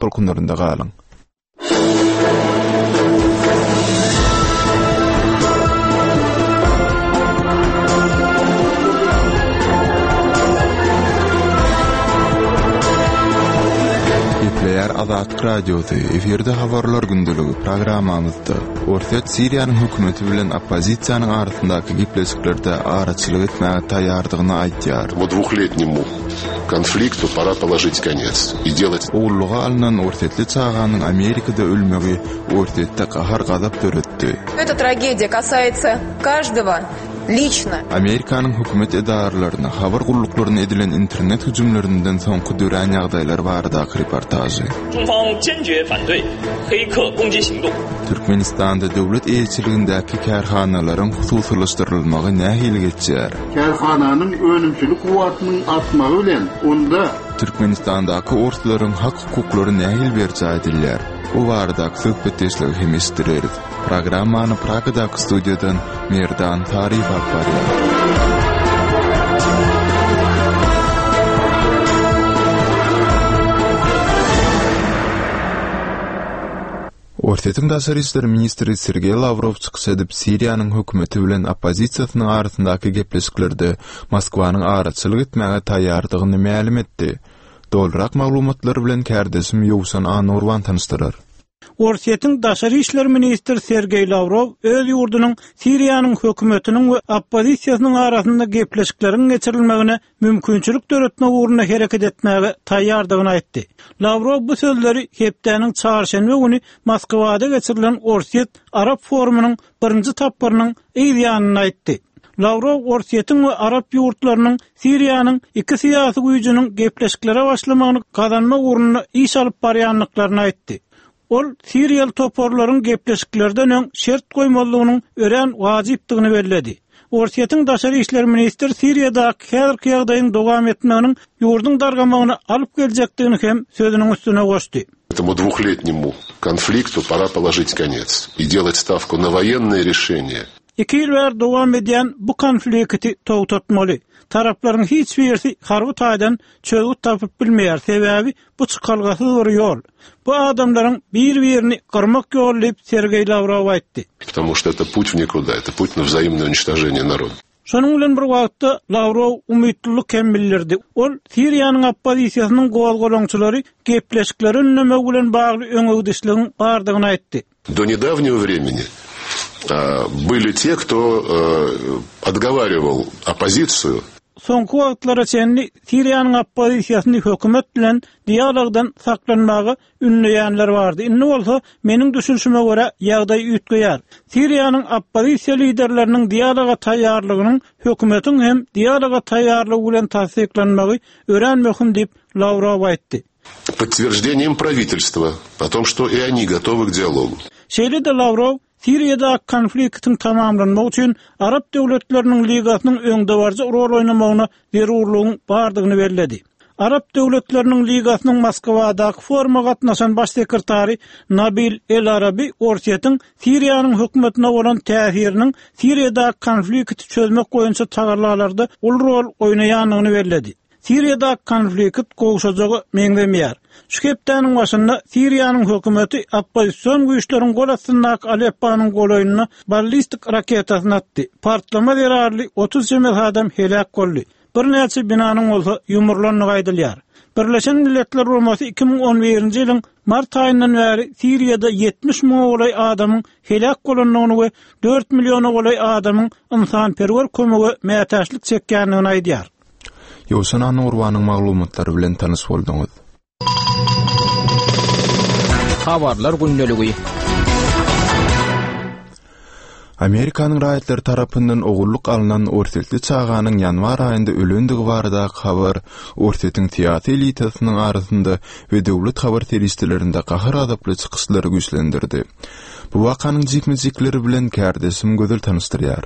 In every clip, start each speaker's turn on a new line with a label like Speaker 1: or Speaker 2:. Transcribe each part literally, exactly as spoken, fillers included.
Speaker 1: Tolkunlarynda galyň. Gepleýär Azatlyk Radiosy, efirde Habarlar gündeligi programmamyzda Orsýet Siriýanyň hökümeti bilen oppozisiýanyň arasyndaky gepleşiklerde araçylyk etmäge taýýardygyny aýdýar.
Speaker 2: Bu dwuhletnemu konfliktu pora položit konec i delat
Speaker 1: Ogullyga alnan orsýetli çaganyň Amerikada ölmegi Orsýetde gahar-gazap döretdi.
Speaker 3: Эта tragediýa kasается каждого liçno.
Speaker 1: Amerikanyň hökümet edaralaryna, habar gulluklaryna edilen internet hüjümlerinden soňky dörän ýagdaýlar baradaky reportažy.
Speaker 4: 中方坚决反对黑客攻击行动。
Speaker 1: Türkmenistanda döwlet eýeçiligindäki kärhanalaryň hususylaşdyrylmagy nähili geçýär?
Speaker 5: Kärhananyň önümçilik kuwwatynyň artmagy bilen onda
Speaker 1: Türkmenistandaky orslaryň hak-hukuklary nähili berjaý edilýär? Bu baradaky söhbetdeşligi hem eşitdireris. Programmany Pragadaky studiýadan Merdan Taryf alyp barýar. Orsýetiň daşary işler ministri Sergeý Lawrow çykyş edip, Siriýanyň hökümeti bilen oppozisiýasynyň arasyndaky gepleşiklerde Moskwanyň araçylyk etmäge taýýardygyny mälim etdi. Dolurak maglumatlar bilen kärdeşim Ýowşan Anurban tanyşdyrar.
Speaker 6: Orsýetiň daşary işler ministri Sergeý Lawrow öz ýurdunyň Siriýanyň hökümetiniň we oppozisiýasynyň arasynda gepleşikleriň geçirilmegine mümkinçilik döretmek ugrunda hereket etmäge taýýardygyny aýtdy. Lawrow bu sözleri hepdäniň çarşenbe güni Moskwada geçirilen Orsýet Arap forumynyň birinji tapgyrynyň yz ýanynda aýtdy. Lawrow Orsýetiň we Arap ýurtlarynyň Siriýanyň iki syýasy güýjüniň gepleşiklere başlamagyny gazanmak ugrunda iş alyp barýandyklaryny aýtdy. Ol Siriýaly toparlaryň gepleşiklerden öň şert goýmalygynyň örän wajypdygyny belledi. Orsýetiň daşary işler ministri Siriýadaky häzirki ýagdaýyň dowam etmeginiň ýurduň dargamagyna alyp geljekdigini hem sözüniň üstüne goşdy.
Speaker 2: Этому двухлетнему konfliktu pora položit konec i delat stavku na woýennoe rešeniýe.
Speaker 6: Iki ýyl bäri dowam edýän bu konflikti togtatmaly. Taraplaryň hiç birisi harby taýdan çözgüt tapyp bilmeýär, sebäbi bu çykalgasyz bir ýol. Bu adamlaryň bir-birini gyrmak ýoly diýip Sergeý Lawrow aýtdy.
Speaker 2: Потому что это путь в никуда, это путь на взаимное уничтожение народа.
Speaker 6: Şonuň bilen bir wagtda Lawrow umytlylyk hem bildirdi. Ol Siriýanyň oppozisiýasynyň gozgalaňçylary gepleşikleri önlemek bilen bagly öňegidişligiň bardygyny aýtdy.
Speaker 2: До недавнего времени, а, были те, кто, э, отговаривал оппозицию.
Speaker 6: Soňky wagtlara çenli Siriýanyň oppozisiýasyny hökümet bilen dialogdan saklanmaga ünleýänler bardy. Indi bolsa meniň düşünişime görä ýagdaý üýtgeýär. Siriýanyň oppozisiýa liderleriniň dialoga taýýarlygynyň hökümetiň hem dialoga taýýarlygy bilen tassyklanmagy örän möhüm diýip Lawrow aýtdy.
Speaker 2: Подтверждением правительства о том, что и они готовы к диалогу.
Speaker 6: Şeýle-de Lawrow Siriýada konfliktiň tamamlanmagy üçin Arap döwletleriniň ligasynyň öňdebaryjy rol oýnamagyna zerurlygyň bardygyny belledi. Arap döwletleriniň ligasynyň Moskwadaky foruma gatnaşan baş sekretary Nabil El Arabi Orsýetiň Siriýanyň hökümetine bolan täsiriniň Siriýada konflikti çözmek boýunça tagallalarda uly rol oýnaýandygyny belledi. Siriýada konflikt gowşajagy meňzemeýär. Şu hepdäniň başynda Siriýanyň hökümeti oppozision güýçleriň gol astyndaky Alepponyň golaýyna ballistik raketasyny atdy. Partlama zerarly otuz çemesi adam heläk boldy. Birnäçe binanyň bolsa ýumurlandygy aýdylýar. Birleşen Milletler Guramasy iki müň on birinji ýylyň mart aýyndan bäri Siriýada ýetmiş müňe golaý adamyň heläk bolandygyny we dört milliona golaý adamyň ynsanperwer kömege mätäçlik çekýändigini aýdýar.
Speaker 1: Ýowşan Anurbanyň maglumatlary bilen tanyş bolduňyz.
Speaker 7: Habarlar gündeligi.
Speaker 1: Amerikanyň raýatlary tarapyndan ogullyk alnan orsýetli çaganyň ýanwar aýynda ölendigi baradaky habar Orsýetiň syýasy elitasynyň arasynda we döwlet habar serişdelerinde gahar-gazaply çykyşlary güýçlendirdi. Bu wakanyň jikme-jikleri bilen kärdeşim Gözel tanyşdyrýar.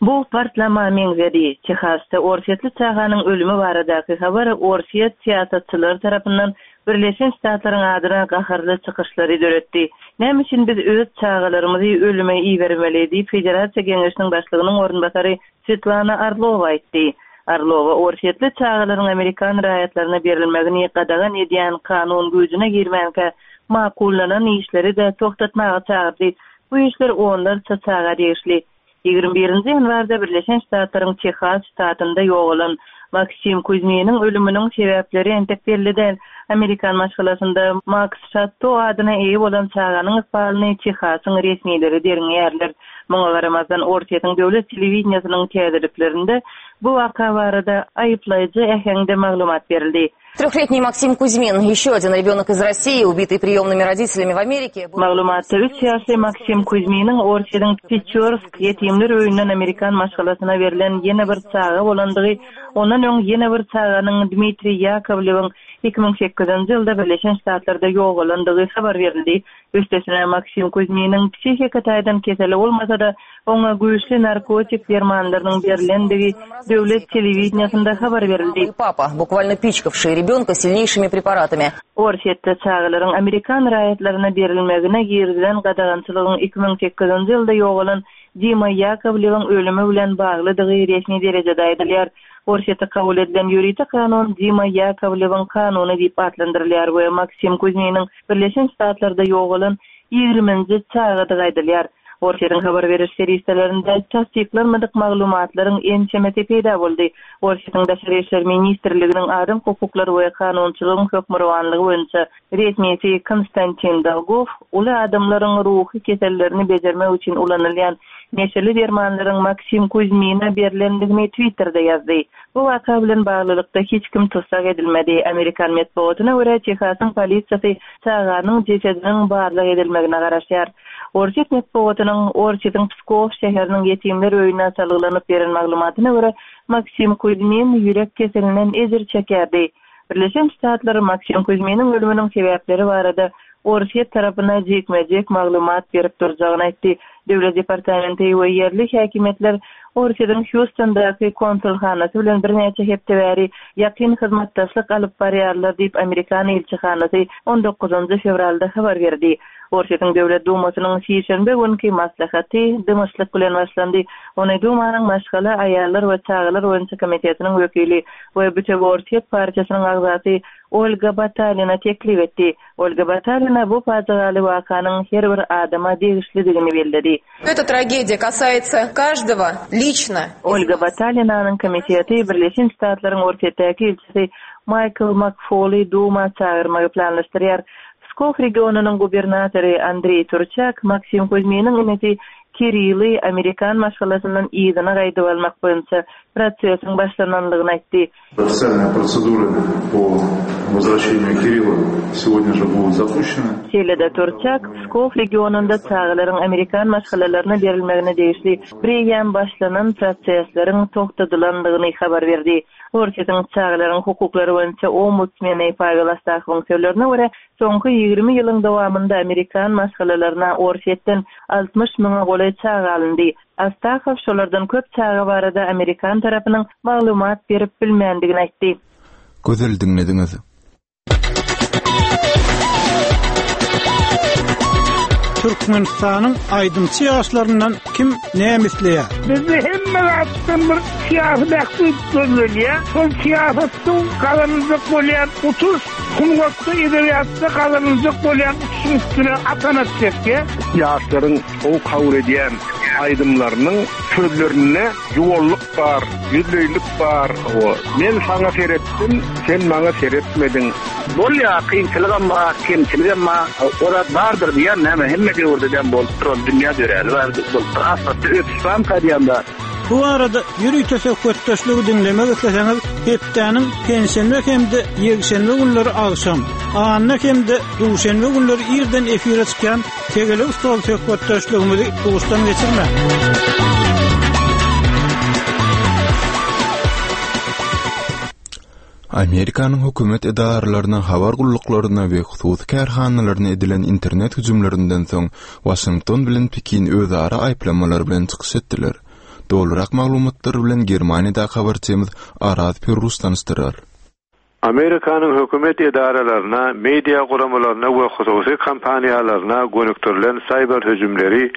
Speaker 8: Bu partlama meňzedi. Tehasda Orsýetli çaganyň ölümi baradaky habar Orsýet syýasatçylary tarapyndan Birleşen Ştatlaryň adyna gaharly çykyşlary döretdi. Näme üçin biz öz çagalarymyzy ölüme ibermeli diýip Federasiýa Geňeşiniň başlygynyň orunbasary Svetlana Orlowa aýtdy. Orlowa orsýetli çagalaryň amerikan raýatlaryna berilmegini gadagan edýän kanun güýjüne girmänkä makullanan işleri-de togtatmaga çagyrdy. Bu işler onlarça çaga degişli. Ýigrimi birinji ýanwarda Birleşen Ştatlaryň Tehas ştatynda ýogalan Maksim Kuzminiň ölüminiň sebäpleri entek belli däl. Amerikan maşgalasynda Maks Şatto adyna eýe bolan çaganyň ykbalyny Tehasyň resmileri derňeýärler. Muňa garamazdan, Orsýetiň döwlet telewideniýesiniň täzeliklerinde bu waka barada aýyplaýjy äheňde maglumat berildi.
Speaker 3: Трехлетний Максим Кузьмин, еще один ребенок из России, убитый приемными родителями в Америке.
Speaker 8: Maglumatda üç ýaşly Maksim Kuzminiň Orsýetiň Peçorsk ýetimler öýünden amerikan maşgalasyna berlen ýene bir çaga bolandygy, ondan öň ýene bir çaganyň Dmitriý Ýakowlewiň iki müň sekizinji ýylda Birleşen Ştatlarda ýogalandygy habar berildi. Üstesine, Maksim Kuzminiň psihika taýdan keseli bolmasa-da, oňa güýçli narkotik dermanlarynyň berlendigi döwlet telewideniýesinde habar berildi.
Speaker 3: Papa, bukvalno piçkavший ребенка silneýşimi preparatami.
Speaker 8: Orsýetde çagalaryň amerikan raýatlaryna berilmegine girizilen gadagançylygyň iki müň sekizinji ýylda ýogalan Dima Ýakowlewiň ölümi bilen baglydygy resmi derejede aýdylýar. Orsýetde kabul edilen ýörite kanun Dima Ýakowlewiň kanuny diýip atlandyrylýar we Maksim Kuzminiň Birleşen Ştatlarda ýogalan ýigriminji çagadygy aýdylýar. Orsýetiň habar beriş serişdelerinde tassyklanmadyk maglumatlaryň ençemesi peýda boldy. Orsýetiň Daşary işler ministrliginiň adam hukuklary we kanunçylygyň hökmürowanlygy boýunça resmisi Konstantin Dolgow uly adamlaryň ruhy kesellerini bejermek üçin ulanylýan neşeli dermanlaryň Maksim Kuzmine berlendigini Twitterde ýazdy. Bu waka bilen baglylykda hiç kim tussag edilmedi. Amerikan metbugatyna görä, Tehasyň polisiýasy çaganyň jesediniň barlag edilmegine garaşýar. Orsýet metbugatynyň Orsýetiň Pskow şäheriniň ýetimler öýüne salgylanyp beren maglumatyna görä, Maksim Kuzmin ýürek keselinden ejir çekerdi. Birleşen Ştatlar Maksim Kuzminiň ölüminiň sebäpleri barada Orsýet tarapyna jikme-jik maglumat berip durjagyny aýtdy. Döwlet departamenti we ýerli häkimiýetler Orsýetiň Hýustondaky konsulhanasy bilen birnäçe hepde bäri ýakyn hyzmatdaşlyk alyp barýarlar diýip, amerikan ilçihanasy on dokuzynjy fewralda habar berdi. Orsýetiň Döwlet Dumasynyň sişenbe günki maslahaty dymyşlyk bilen başlandy. Ony Dumanyň maşgala, aýallar we çagalar boýunça komitetiniň wekili we Bütewi Orsýet partiýasynyň agzasy Olga Batalina teklip etdi. Olga Batalina bu pajygaly wakanyň her bir adama degişlidigini belledi.
Speaker 3: Эта трагедия касается каждого лично.
Speaker 8: Olga Batalinanyň komiteti Birleşen Ştatlaryň Orsýetdäki ilçisi Maýkl Makfoly Duma çagyrmagy planlaşdyrýar. Pskow regionynyň gubernatory Andreý Turçak Maksim Kuzminiň inisi Kirili amerikan maşgalasyndan yzyna gaýdyp almak boýunça prosesiň başlananlygyny aýtdy.
Speaker 9: Официальные процедуры по возвращению Кирилла сегодня же будут запущены.
Speaker 8: Şeýle-de Turçak Pskow regionynda çagalaryň amerikan maşgalalaryna berilmegine degişli bireýýäm başlanan prosesleriň togtadylandygyny habar berdi. Orsýetiň çagalaryň hukuklary boýunça ombudsmeni Pavel Astahowyň sözlerine görä, soňky ýigrimi ýylyň dowamynda amerikan maşgalalaryna Orsýetden altmyş müňe golaý çaga alyndy. Astahow şolardan köp çaga barada amerikan tarapynyň maglumat berip bilmändigini aýtdy.
Speaker 1: Gözel diňlediňiz.
Speaker 6: Türkmenistanyň aýdymçy ýaşlaryndan kim näme isleýär?
Speaker 10: Bizde hemme zatdan bir syýasy bähbit gözlenýär. Şol syýasatdan gazanyljak bolýan utuş, sungatda, edebiýatda gazanyljak bolýan utuşyň üstüne atanat çekýär.
Speaker 11: Ýaşlaryň gowy kabul edýän aýdymlarynyň sözlerinde ýuwallyk bar, ýüzleýlik bar. O, men saňa seretdim, sen maňa seretmediň.
Speaker 12: Bolýa, kynçylygam bar, kemçiligem bar. O zat bardyr diýen näme, hemme döwürde dem bolup duran dünýä döräli bar, bolup duran. Asfaltda ösüş barmy diýen bar.
Speaker 6: Bu arada ýörite söhbetdeşligi diňlemek isleseňiz, hepdäniň penşenbe hem-de ýekşenbe günleri agşam, anna hem-de duşenbe günleri irden efire çykýan Tegelek stol söhbetdeşligimizi duşdan geçirme.
Speaker 1: Amerikanyň hökümet edaralaryna, habar gulluklaryna we hususy kärhanalaryna edilen internet hüjümlerinden soň Washington bilen Pekin özara aýyplamalar bilen çykyş etdiler. Dolurak maglumatlar bilen Germaniýada habarçymyz Araz Pürrus tanyşdyrar.
Speaker 13: Amerikanyň hökümet edaralaryna, media guramalaryna we hususy kompaniýalaryna gönükdirilen cyber hüjümleri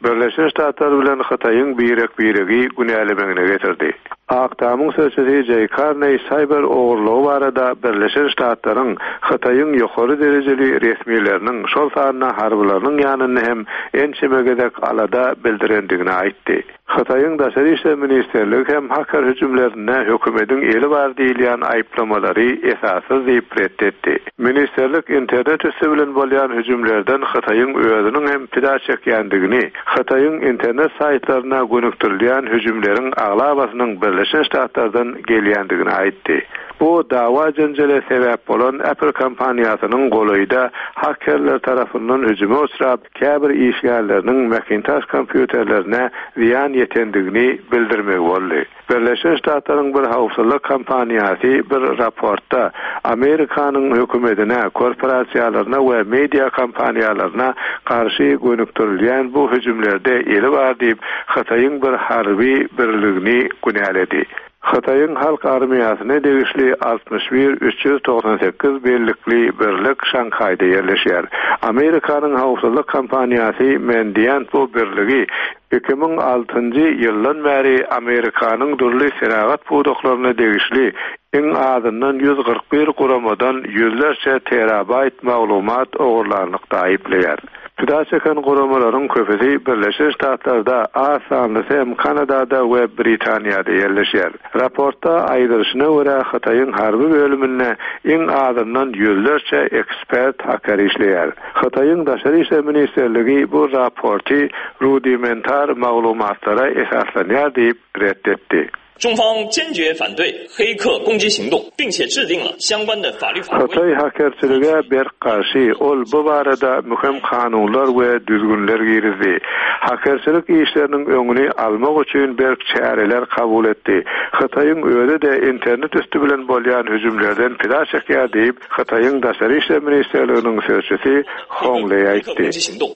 Speaker 13: Birleşen Ştatlar bilen Hytaýyň birek-biregi günälemegine getirdi. Ak Tamyň sözçüsi Jeý Karneý saýber ogurlygy barada Birleşen Ştatlaryň Hytaýyň ýokary derejeli resmileriniň, şol sanda harbylarynyň ýanynda hem ençeme gezek alada bildirendigini aýtdy. Hytaýyň Daşary işler ministrligi hem haker hüjümlerinde hökümetiň eli bar diýilýän aýyplamalary esassyz diýip ret etdi. Ministrlik internet üsti bilen bolýan hüjümlerden Hytaýyň özüniň hem pida çekýändigini, Hytaýyň internet saýtlaryna gönükdirilýän hüjümleriň aglabasynyň Birleşen Ştatlardan gelýändigini aýtdy. Bu dawa-jenjele sebäp bolan Apple kompaniýasynyň golaýda hakerler tarapyndan hüjüme uçrap, käbir işgärleriniň Macintosh kompýuterlerine zyýan ýetendigini bildirmegi boldy. Birleşen Ştatlaryň bir howpsuzlyk kompaniýasy bir raportda Amerikanyň hökümetine, korporasiýalaryna we media kompaniýalaryna garşy gönükdirilýän bu hüjümlerde eli bar diýip, Hytaýyň bir harby birligini günäledi. Hytaýyň Halk armiýasyna degişli altmyş bir üç ýüz togsan sekiz bellikli birlik Şanhaýda ýerleşýär. Amerikanyň howpsuzlyk kompaniýasy Mandiant bu birligi iki müň altynjy ýyldan bäri Amerikanyň dürli senagat pudaklaryna degişli iň azyndan ýüz kyrk bir guramadan ýüzlerçe terabaýt maglumat ogurlanlykda aýyplaýar. Pida çeken guramalaryň köpüsi Birleşen Ştatlarda, az sanlysy hem Kanadada we Britaniýada ýerleşýär. Raportda aýdylyşyna görä, Hytaýyň harby bölüminde iň azyndan ýüzlerçe ekspert haker işleýär. Hytaýyň Daşary işler ministrligi bu raporty rudimentar maglumatlara esaslanýar diýip ret etdi.
Speaker 4: 中方坚决反对黑客攻击行动，并且制定了相关的法律法规。
Speaker 13: Hytaý hakerçilige berk garşy, ol bu barada möhüm kanunlar we düzgünler girizdi. Hakerçilik işleriniň öňüni almak üçin berk çäreler kabul etdi. Hytaýyň özi-de internet üsti bilen bolýan hüjümlerden pida çekýär diýip, Hytaýyň Daşary işler ministrliginiň sözçüsi Hong Leý aýtdy.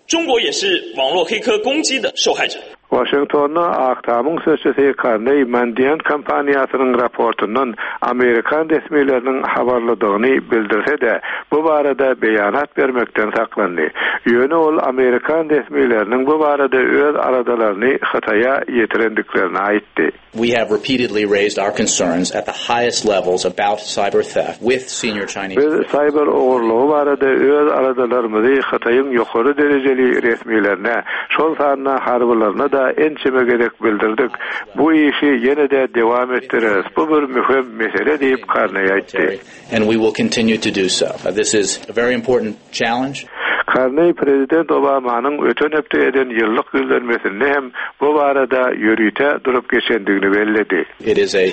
Speaker 4: 中国也是网络黑客攻击的受害者。
Speaker 13: Waşingtonda Ak Tamyň sözçüsi Karneý Mandiant kompaniýasynyň raportyndan amerikan resmileriniň habarlydygyny bildirse-de, bu barada beýanat bermekden saklandy. Ýöne ol amerikan resmileriniň bu barada öz aladalaryny Hytaýa ýetirendiklerini aýtdy.
Speaker 14: We have repeatedly raised our concerns at the highest levels about cyber theft with senior Chinese
Speaker 13: Biz saýber ogurlygy barada öz aladalarymyzy Hytaýyň ýokary derejeli resmilerine, şol sanda harbylaryna-da ençeme gezek bildirdik. Bu işi ýene-de dewam etdireris. Bu bir möhüm mesele diýip, Karneý aýtdy.
Speaker 14: And we will continue to do so. This is a very important challenge.
Speaker 13: Karneý prezident Obamanyň öten hepde eden ýyllyk ýüzlenmesinde hem bu barada ýörite durup geçendigini belledi.
Speaker 14: It is a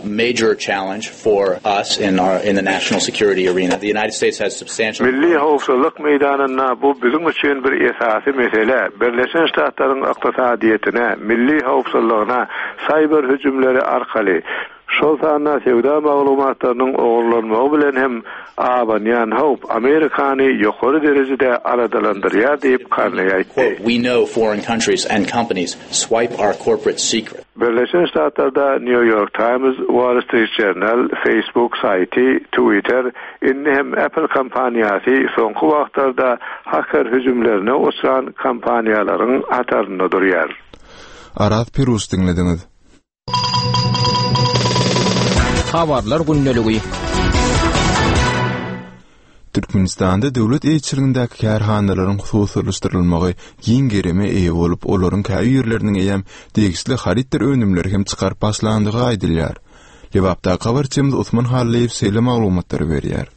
Speaker 14: major challenge for us in our in the national security arena. The United States has substantial
Speaker 13: Milli howpsuzlyk meýdanynda bu biziň üçin bir esasy mesele. Birleşen Ştatlaryň ykdysadyýetine, milli howpsuzlygyna saýber hüjümleri arkaly, şol sanda söwda maglumatlarynyň ogurlanmagy bilen hem abanýan howp Amerikany ýokary derejede aladalandyrýar diýip, Karneý aýtdy.
Speaker 14: We know foreign countries and companies swipe our corporate secrets.
Speaker 13: Birleşen Ştatlarda New York Times, Wall Street Journal, Facebook saýty, Twitter, indi hem Apple kompaniýasy soňky wagtlarda haker hüjümlerine uçran kompaniýalaryň hatarynda durýar.
Speaker 1: Araz Piruz diňlediňiz.
Speaker 7: Habarlar gündeligi.
Speaker 1: Türkmenistanda döwlet eýeçiligindäki kärhanalaryň hususylaşdyrylmagy giň gerime eýe bolup, olaryň käbirleriniň eýýäm degişli harytdyr önümleri hem çykaryp başlandygy aýdylýar. Lebapdaky habarçymyz Osman Hallyýew şeýle maglumatlary berýär.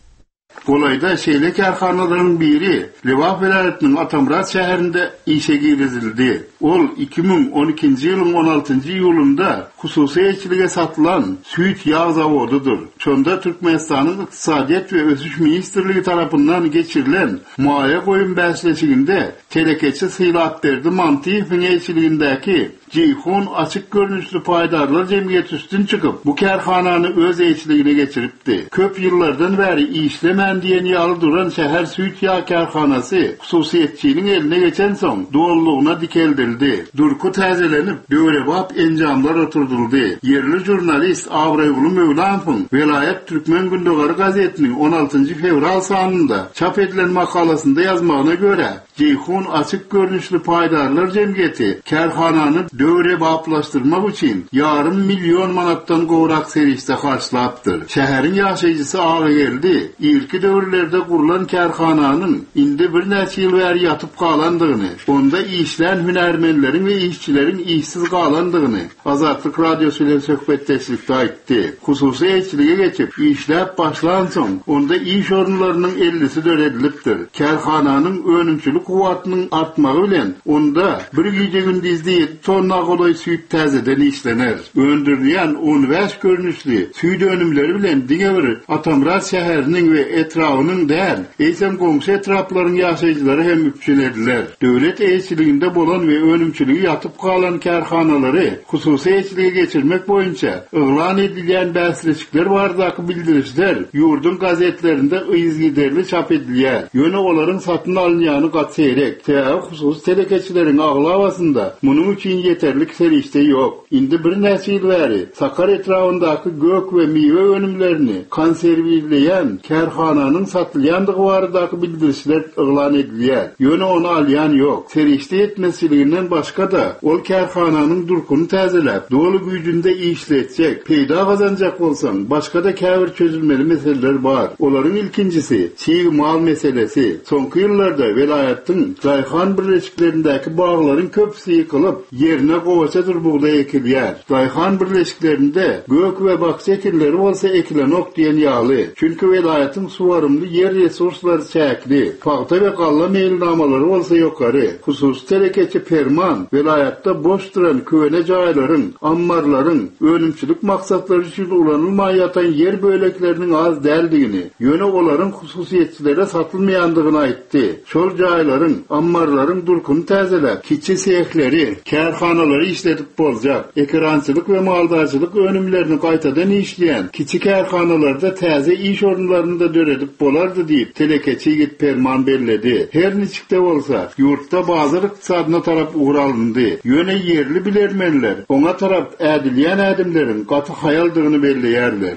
Speaker 5: Golaýda şeýle kärhanalaryň biri Lebap welaýatynyň Atamyrat şäherinde işe girizildi. Ol iki müň on ikinji ýylyň on altynjy iýulynda hususy eýeçilige satylan süýt ýag zawodydyr. Şonda Türkmenistanyň Ykdysadyýet we ösüş ministrligi tarapyndan geçirilen maýa goýum bäsleşiginde telekeçi Sylapberdi Mantyýewiň eýeçiligindäki Jeýhun açyk görnüşli paýdarlar jemgyýeti üstün çykyp, bu kärhanany öz eýeçiligine geçiripdi. Köp ýyllardan bäri işlemän diýen ýaly duran şäher süýt ýag kärhanasy hususyýetçiniň eline geçensoň dolulygyna dikeldildi. Durky täzelenip, döwrebap enjamlar oturdyldy. Ýerli žurnalist Abraýguly Möwlanowyň welaýat Türkmen gündogary gazetiniň on altynjy fewral sanynda çap edilen makalasynda ýazmagyna görä, Jeýhun açyk görnüşli paýdarlar jemgyýeti kärhanany döwrebaplaşdyrmak üçin ýarym million manatdan gowrak serişde harçlapdyr. Şäheriň ýaşaýjysy Agageldi irki döwürlerde gurlan kärhananyň indi birnäçe ýyl bäri ýatyp galandygyny, onda işlän hünärmenleriň we işçileriň işsiz galandygyny Azatlyk Radiosy bilen söhbetdeşlikde aýtdy. Hususy eýeçilige geçip, işläp başlansoň, onda iş orunlarynyň ellisi döredilipdir. Kärhananyň önümçilik kuwwatynyň artmagy bilen onda bir gije-gündizde ýedi tonna golaý süýt täzeden işlener. Öndürilýän on bäş görnüşli süýt önümleri bilen diňe bir Atamyrat şäheriniň we etrabynyň däl, eýsem goňşy etraplaryň ýaşaýjylary hem üpjün ediler. Döwlet eýeçiliginde bolan we önümçiligi ýatyp galan kärhanalary hususy eýeçilige geçirmek boýunça yglan edilýän bäsleşikler baradaky bildirişler ýurduň gazetlerinde yzygiderli çap edilýär. Ýöne olaryň satyn alynýany gaty seýrek. Sebäbi hususy telekeçileriň aglabasynda munuň üçin ýeterlik serişde ýok. Indi birnäçe ýyl bäri Sakar etrabyndaky gök we miwe önümlerini konserwirleýän kärhananyň satylýandygy baradaky bildirişler yglan edilýär. Ýöne ony alýan ýok. Serişde ýetmezçiliginden başga-da ol kärhananyň durkuny täzeläp, doly güýjünde işletjek, peýda gazanjak bolsaň, başga-da käbir çözülmeli meseleler bar. Olaryň ilkinjisi çig mal meselesi. Soňky ýyllarda welaýatyň daýhan birleşiklerindäki baglaryň köpüsi ýykylyp, ýerine gowaçadyr bugdaý ekilýär. Daýhan birleşiklerinde gök we bakja ekinleri bolsa ekilenok diýen ýaly. Çünki welaýatyň suwarymly ýer resurslary çäkli, pagta we galla meýilnamalary bolsa ýokary. Hususy telekeçi Perman welaýatda boş duran köne jaýlaryň, ammarlaryň önümçilik maksatlary üçin ulanylmaýan ýatan ýer bölekleriniň az däldigini, ýöne olaryň hususyýetçilere satylmaýandygyny aýtdy. Şol jaýlaryň, ammarlaryň durkuny täzeläp, kiçi sehleri, kärhanalary işledip boljak, ekerançylyk we maldarçylyk önümlerini gaýtadan işleýän kiçi kärhanalarda täze iş orunlaryny da döredip bolardy diýip, telekeçi ýigit Perman belledi. Her niçik-de bolsa, ýurtda bazar ykdysadyna tarap ugur alyndy. Ýöne ýerli bilermenler oňa tarap ädilýän ädimleriň gaty haýaldygyny belleýärler.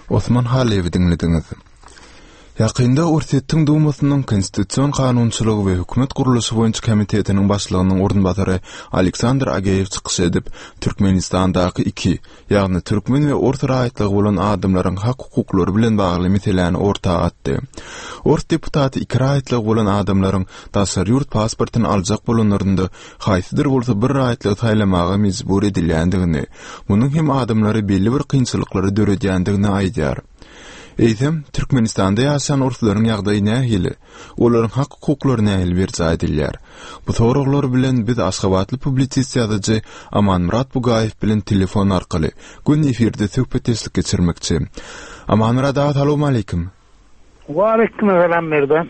Speaker 1: Osman Halyýewi diňlediňiz. Ýakynda Orsýetiň Dumasynyň Konstitusion kanunçylygy we hökümet gurluşy boýunça komitetiniň başlygynyň orunbasary Aleksandr Ageýew çykyş edip, Türkmenistandaky iki, ýagny türkmen we ors raýatlygy bolan adamlaryň hak-hukuklary bilen bagly meseläni orta atdy. Ors deputaty iki raýatlygy bolan adamlaryň daşary ýurt pasportyny aljak bolanlarynda haýsydyr bolsa bir raýatlygy saýlamaga mejbur edilýändigini, munuň hem adamlara belli bir kynçylyklary döredýändigini aýdýar. Eýsem, Türkmenistanda ýaşaýan orslaryň ýagdaýy nähili? Olaryň hak-hukuklary nähili berjaý edilýär? Bu soraglar bilen biz aşgabatly publisist ýazyjy Amanmyrat Bugaýew bilen telefon arkaly gün efirde söhbetdeşlik geçirmekçi. Amanmyrat aga, salam aleýkum.
Speaker 10: Waleýkim salam Merdan.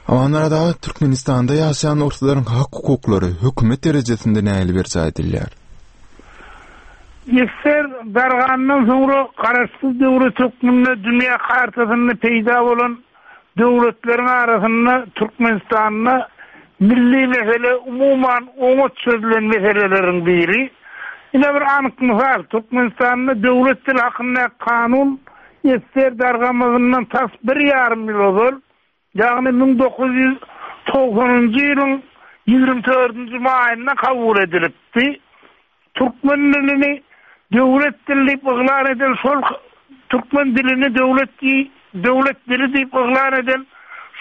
Speaker 1: Amanmyrat aga, Türkmenistanda ýaşaýan orslaryň hak-hukuklary hökümet derejesinde nähili berjaý edilýär?
Speaker 10: Ýeser dargandan soňra garaşsyz döwlet hökmünde dünýä kartasynda peýda bolan döwletleriň arasynda Türkmenistanda milli mesele umuman oňat çözülen meseleleriň biri. Ine bir anyk mysal, Türkmenistanda döwlet dili hakynda kanun ýeser dargamazyndan tas bir ýarym ýyl ozal, ýagny müň dokuz ýüz togsanynjy ýylyň ýigrimi dördünji maýynda kabul edilipdi. Türkmen dilini döwlet dili diýip yglan eden şol Türkmen dilini döwlet döwlet dili diýip yglan eden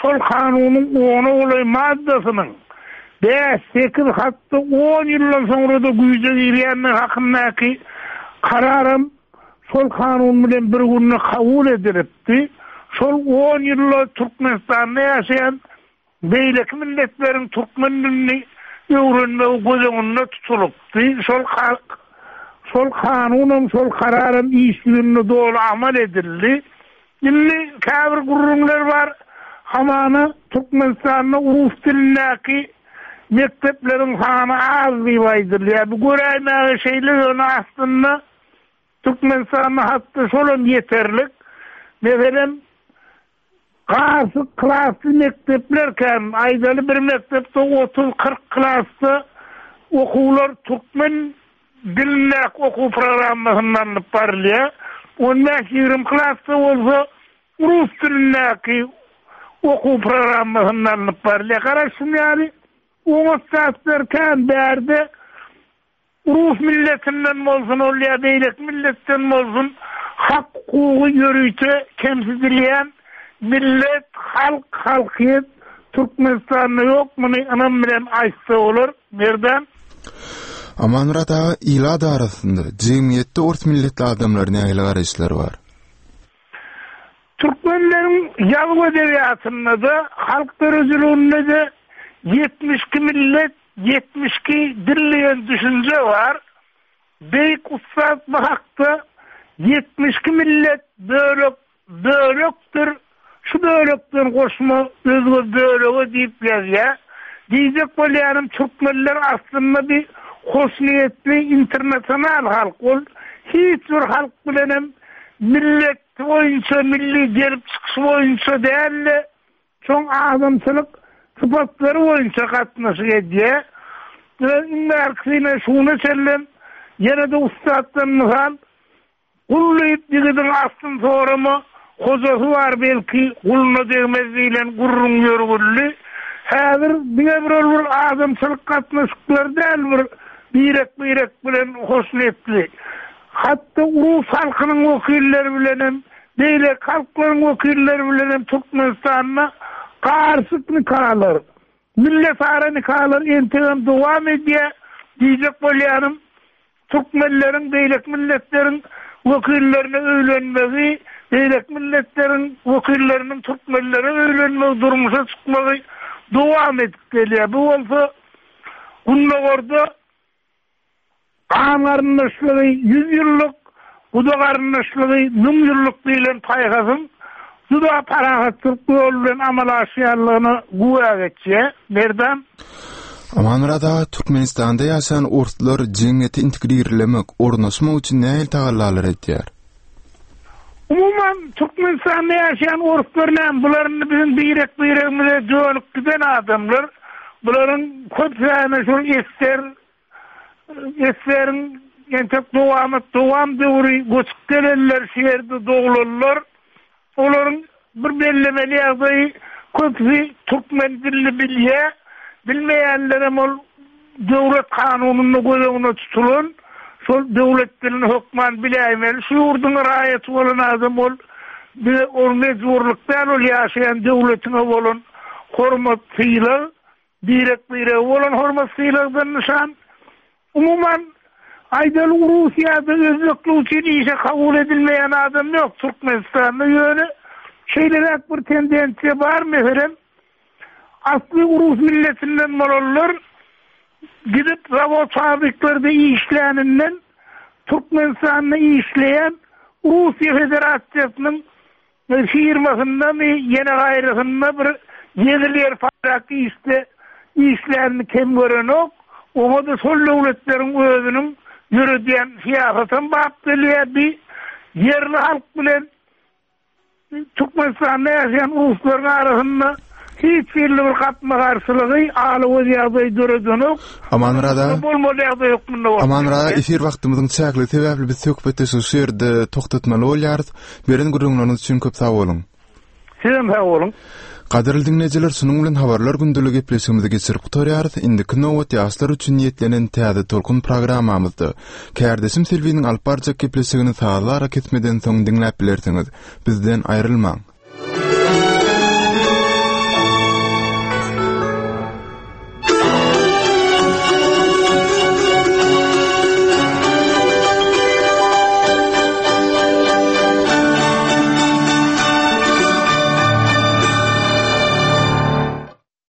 Speaker 10: şol kanunyň ona golaý maddasynyň bäş, sekiz, hatda on ýyldan soňra da güýje girýändigi hakyndaky kararam şol kanun bilen bir günde kabul edilipdi. Şol on ýylda Türkmenistanda ýaşaýan beýleki milletleriň türkmen dilini öwrenmegi göz öňünde tutulypdy. Şol şol kanunam, şol kararam iş ýüzünde doly amal edildi. Indi käbir gürrüňler bar. Hamana Türkmenistanda rus dilindäki mekdepleriň sany az diýip aýdylýar. Bu göräýmäge şeýle, ýöne aslynda Türkmenistanda hatda şolam ýeterlik. Meselem, Gasyk klasly mekdepler kän, aýdaly bir mekdepde otuz kyrk klasda okuwlar türkmen dilindäki okuw programmasynda alnyp barylýar. On bäş ýigrimi klasda bolsa rus dilindäki okuw programmasynda alnyp barylýar. Garaşym ýaly oňat zatlar kän bärde Rus milletinden bolsun ol ýa beýleki milletden bolsun hak hukugy ýörite kemsidilýän millet, halk, halkyýet Türkmenistanda ýok, muny ynam bilen aýtsa bolar. Merdan.
Speaker 1: Amanmyrat aga, ilat arasynda, jemgyýetde ors milletli adamlara nähili garaýyşlar bar?
Speaker 10: Türkmenleriň ýazuw edebiýatynda-da, halk döredijiliginde-de ýetmiş iki millet, ýetmiş iki dil diýen düşünje bar. Beýik ussat bu hakda ýetmiş iki millet bölek bölekdir, şu bölekden goşma özge bölege diýip ýazýar. Diýjek bolýanym, türkmenler aslynda bir hoşniýetli internasional halk. Ol hiç bir halk bilenem millet boýunça, milli gelip çykyşy boýunça däl-de, şoň adamçylyk sypatlary boýunça gatnaşyk edýär. Iň bärkisine şuna çenlem ýene-de ussatdan mysal, Gul diýip ýigidiň aslyny sorama, hojasy bar belki guluna degmez diýlen gürrüň ýörgünli. Häzir diňe bir ol bir adamçylyk gatnaşyklary däl bir birek-birek bilen hoşniýetli. Hatda rus halkynyň wekilleri bilenem, beýleki halklaryň wekilleri bilenem Türkmenistanda garyşyk nikalar, milletara nikalar entegem dowam edýär. Diýjek bolýanym, türkmenleriň beýleki milletleriň wekillerine öýlenmegi, beýleki milletleriň wekilleriniň türkmenlere öýlenmegi, durmuşa çykmagy dowam edip gelýär. Bu bolsa Gündogarda gan garyndaşlygy ýüz ýyllyk, guda garyndaşlygy müň ýyllyk diýlen paýhasyň juda parahatçylyk ýoly bilen amala aşýanlygyna güwä geçýär. Merdan.
Speaker 1: Amanmyrat aga, Türkmenistanda ýaşan orslar jemgyýete integrirlemek, ornaşmak üçin nähili tagallalar edýär?
Speaker 10: Umuman, Türkmenistanda ýaşaýan orslar näme? Bular indi biziň birek-biregimize dönüp giden adamlar. Bularyň köpüsi şol esger, esgeriň entek dowamat dowam döwri göçüp gelenler, şu ýerde doglanlar. Olaryň bir bellemeli ýagdaýy köpüsi türkmen dilini bilýär, bilmeýänlerem ol döwlet kanunynda göz öňüne tutulan şol döwlet dilini hökman biläýmeli. Şu ýurduň raýaty bolan adam ol bir ol mejburlyk däl, ol ýaşaýan döwletine bolan hormat sylag, birek-birege bolan hormat sylagdan nyşan. Umuman, aýdaly Russiýada özbeklik üçin işe kabul edilmeýän adam ýok Türkmenistanda. Ýöne şeýleräk bir tendensiýa bar, meselem, asly rus milletinden bolanlar gidip zawod fabriklerde işläninden Türkmenistanda işleýän Russiýa Federasiýasynyň firmasynda my ýene gaýrysynda bir ýeňil ýer paýrak işde işlänini kem görenok. Oňa da şol döwletleriň özüniň ýöredýän syýasatam bap gelýär. Bir ýerli halk bilen Türkmenistanda ýaşaýan ruslaryň arasynda hiç birli bir gapma-garşylygy, aly ýagdaý döredenok.
Speaker 1: Amanmyrat aga,
Speaker 10: Bolmaly ýagdaý hökmünde boldy.
Speaker 1: Amanmyrat aga, efir wagtymyzyň çäkli sebäpli biz söhbetdeşligi şu ýerde togtatmaly bolýarys. Beren gürrüňleriňiz üçin köp sag boluň.
Speaker 10: Sizem sag boluň.
Speaker 1: Gadyrly diňleýjiler, şunuň bilen habarlar gündeli gepleşigimizi geçirip gutarýarys. Indiki nobat ýaşlar üçin niýetlenen täze tolkun programmamyzda. Kärdeşim Selbiniň alyp barjak gepleşigini sazly ara kesmeden soň diňläp bilersiňiz. Bizden aýrylmaň.